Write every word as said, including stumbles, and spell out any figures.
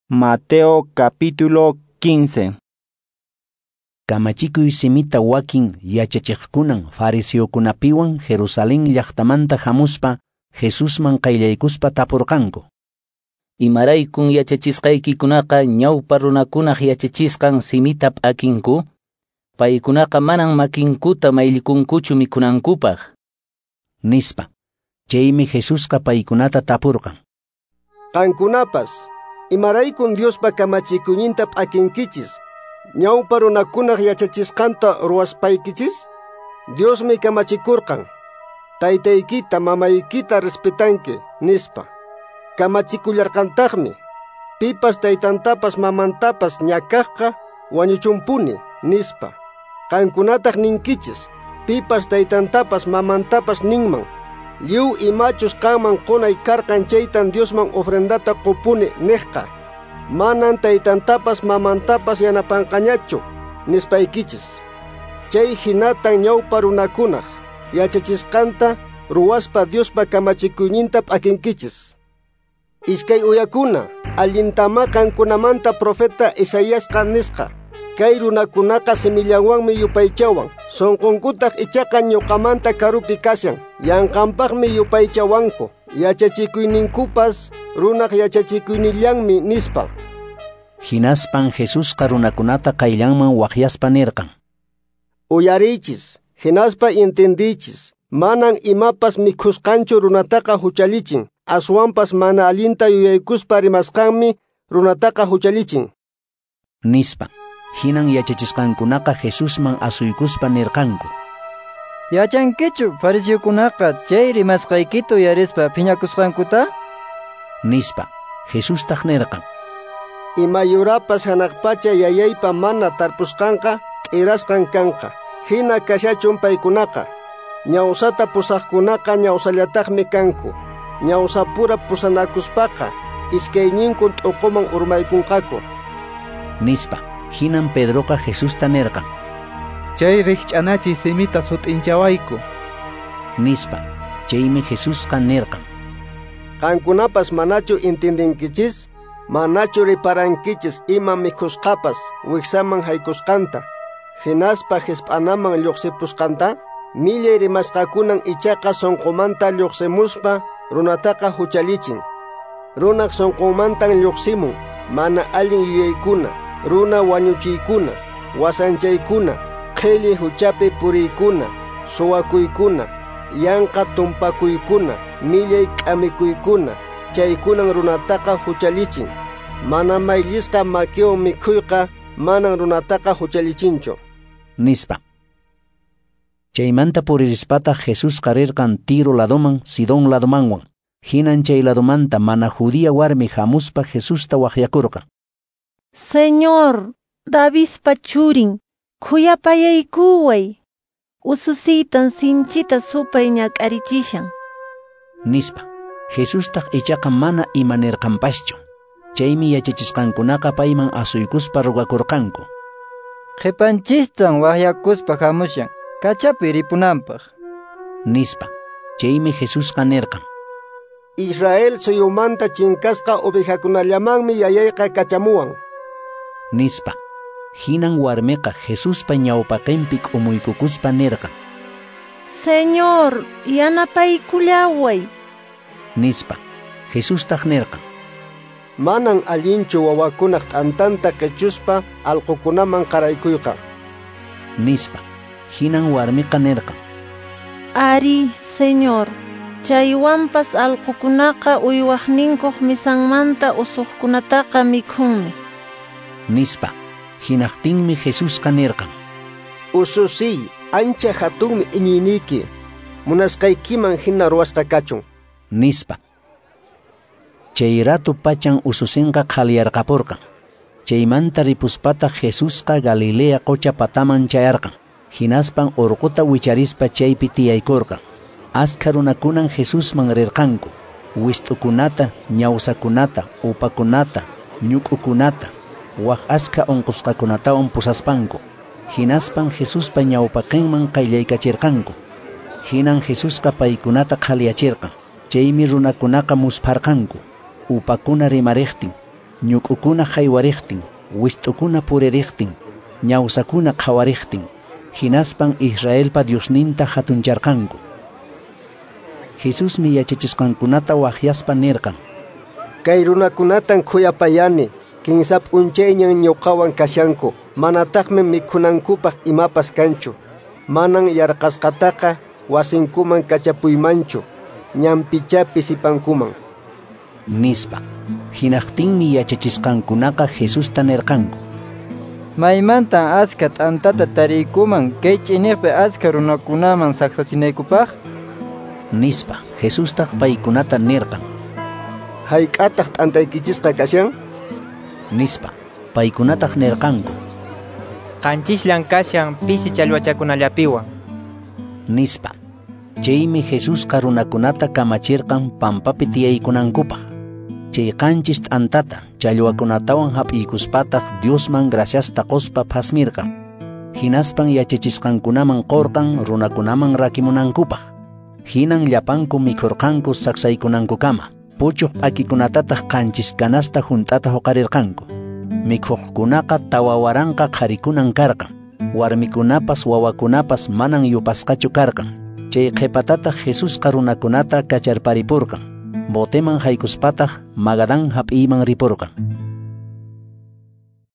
Mateo capítulo quince. Kamachikuy simita wakin yachachiqkunan fariseokunapiwan Jerusalén llaqtamanta hamuspa Jesusman qayllaykuspa tapurqanku. Imaraykun yachachisqaykikunaqa ñawpa runakunaq yachachisqan simita p'akinku? Paykunaqa manan makinkuta mayllikunkuchu mikhunankupaq. Nispa. Chaymi Jesusqa paykunata tapurqan. Qankunapas, imaraykun Diospa kamachikuyninta p'akinkichis? Ñawpa runakunaq yachachisqanta ruwaspaykichis? Diosmi kamachikurqan, taytaykita mamaykita respetanki, nispa. Kamachikullarqantaqmi, pipas taytantapas mamantapas ñakaqqa wañuchunpuni, nispa. Qankunataq ninkichis, pipas taytantapas mamantapas ninman, lliw imachus qanman qunay karqan chaytan Diosman ofrendata qupuni niqqa. Manan taytantapas mamantapas yanapanqañachu, nispaykichis. Chay hinatan ñawpa runakunaq yachachisqanta ruwaspa Diospa kamachikuyninta p'akinkichis. Iskay uyakuna, allintama qankunamanta profeta Isaiasqa nisqa. Kay runakunaqa simillawanmi yupaychawan, sunqunkutaq ichaqa ñuqamanta karupi kashan, yanqanpaqmi yupaychawanku, yachachikuyninkupas runaq yachachikuynillanmi, nispa. Hinaspan Jesusqa runakunata qayllanman waqyaspa nirqan. Uyariychis, hinaspa entendiychis, manan imapas mikhusqanchu runataqa huchallichin, aswanpas mana allinta yuyaykuspa rimasqanmi runataqa huchallichin. Nispa. Hinan yachachisqankunaqa Jesusman asuykuspa nirqanku. Yachankichu fariseokunaqa chay rimasqaykita uyarispa phiñakusqankuta? Nispa. Jesustaq nirqan. Ima yurapas hanaq pacha yayaypa mana tarpusqanqa t'irasqan kanqa. Hina kashachun paykunaqa. Ñawsata pusaqkunaqa ñawsallataqmi kanku. Ñawsapura pusanakuspaqa iskayninkun t'uquman urmaykunqaku. Nispa. Hinan Pedroqa Jesusta nirqan. Chay rikch'anachiy simita sut'inchawayku. Nispa. Chaymi Jesusqa nirqan. Qankunapas manachu entendinkichis? Manachu riparankichis ima mikhusqapas wiksaman haykusqanta, hinaspa hisp'anaman lluqsipusqanta? Millay rimasqakunan ichaqa sunqumanta lluqsimuspa runataqa huchallichin. Runaq sunqunmantan lluqsimun mana allin yuyaykuna, runa wañuchiykuna, wasanchaykuna, qhilli huchapi puriykuna, suwakuykuna, yanqa tumpakuykuna, millay k'amikuykuna, chaykunan runataqa huchallichin. Mana mayllisqa makiwan mikhuyqa manan runataqa huchallichinchu. Nispa. Chaymanta puririspataq Jesusqa rirqan Tiro ladoman, Sidón ladomanwan. Hinan chay ladomanta mana judía warmi hamuspa Jesusta waqyakurqan. Señor, Davidpa churin, khuyapayaykuway. Ususiytan sinchita supay ñak'arichishan. Nispa. Jesustaq ichaqa mana imanirqanpaschu. Chaymi yachachisqankunaqa payman asuykuspa rugakurqanku. Qhipanchistan waqyakuspa hamushan, kachapi ripunanpaq. Nispa. Chaymi Jesusqa nirqan. Israel suyumanta chinkasqa ovejakunallamanmi yayayqa kachamuwan. Nispa. Hinan warmiqa Jesuspa ñawpaqinpi k'umuykukuspa nirqan. Señor, yanapaykullaway. Nispa. Jesustaq nirqan. Manan allinchu wawakunaq t'antanta qichuspa allqukunaman qaraykuyqa. Nispa. Hinan warmiqa nirqan. Ari, Señor, chaywanpas allqukunaqa uywaqninkuq misanmanta usuqkunataqa mikhunmi. Nispa. Hinaqtinmi Jesusqa nirqan. Ususiy, ancha hatunmi iñiyniyki, munasqaykiman hina ruwasqa kachun. Nispa. Chay ratu pachan ususinqa qhaliyarqapurqan. Chaymanta ripuspataq Jesusqa Galilea qocha pataman chayarqan. Hinaspan urquta wicharispa chaypi tiyaykurqan. Askha runakunan Jesusman rirqanku. Wist'ukunata, ñawsakunata, upakunata, ñuk'ukunata, waq askha unqusqakunatawan pusaspanku. Hinaspan Jesuspa ñawpaqinman qayllaykachirqanku. Hinan Jesusqa paykunata qhaliyachirqan. Chaymi runakunaqa muspharqanku. Upakuna rimariqtin, ñuk'ukuna haywariqtin, wist'ukuna puririqtin, ñawsakuna qhawariqtin. Hinaspan Israelpa Diosninta hatuncharqanku. Jesusmi yachachisqankunata waqyaspa nirqan: Kay runakunatan khuyapayani, kinsa p'unchayñan ñuqawan kashanku, manataqmi mikhunankupaq imapas kanchu. Manan yarqasqataqa wasinkuman kachapuymanchu, ñanpichá pisipankuman, nispa. Hinaqtinmi yachachisqankunaqa Jesusta nirqanku: Maymantan askha t'antata tariykuman kay ch'iniqpi askha runakunaman saksachinaykupaq? Nispa. Jesustaq paykunata nirqan: Hayk'ataq t'antaykichisqa kashan? Nispa. Paykunataq nirqanku: Qanchisllan kashan pisi challwachakunallapiwan, nispa. Chaymi Jesusqa runakunata kamachirqan pampapi tiyaykunankupaq. Chay qanchis t'antata challwakunatawan hap'iykuspataq Diosman graciasta qospa phasmirqan. Hinaspan yachachisqankunaman qorqan runakunaman rakimunankupaq. Hinan llapanku mikhurqanku saksaykunankukama. Puchuq p'akikunatataq qanchis canasta hunt'ata huqarirqanku. Mikhuqkunaqa tawa waranqa qharikunan karqan. Warmikunapas wawakunapas manan yupasqachu karqan. Chay qhipatataq Jesusqa runakunata kacharparipurqan. Boteman haykuspataq Magadán hap'iyman ripurqan.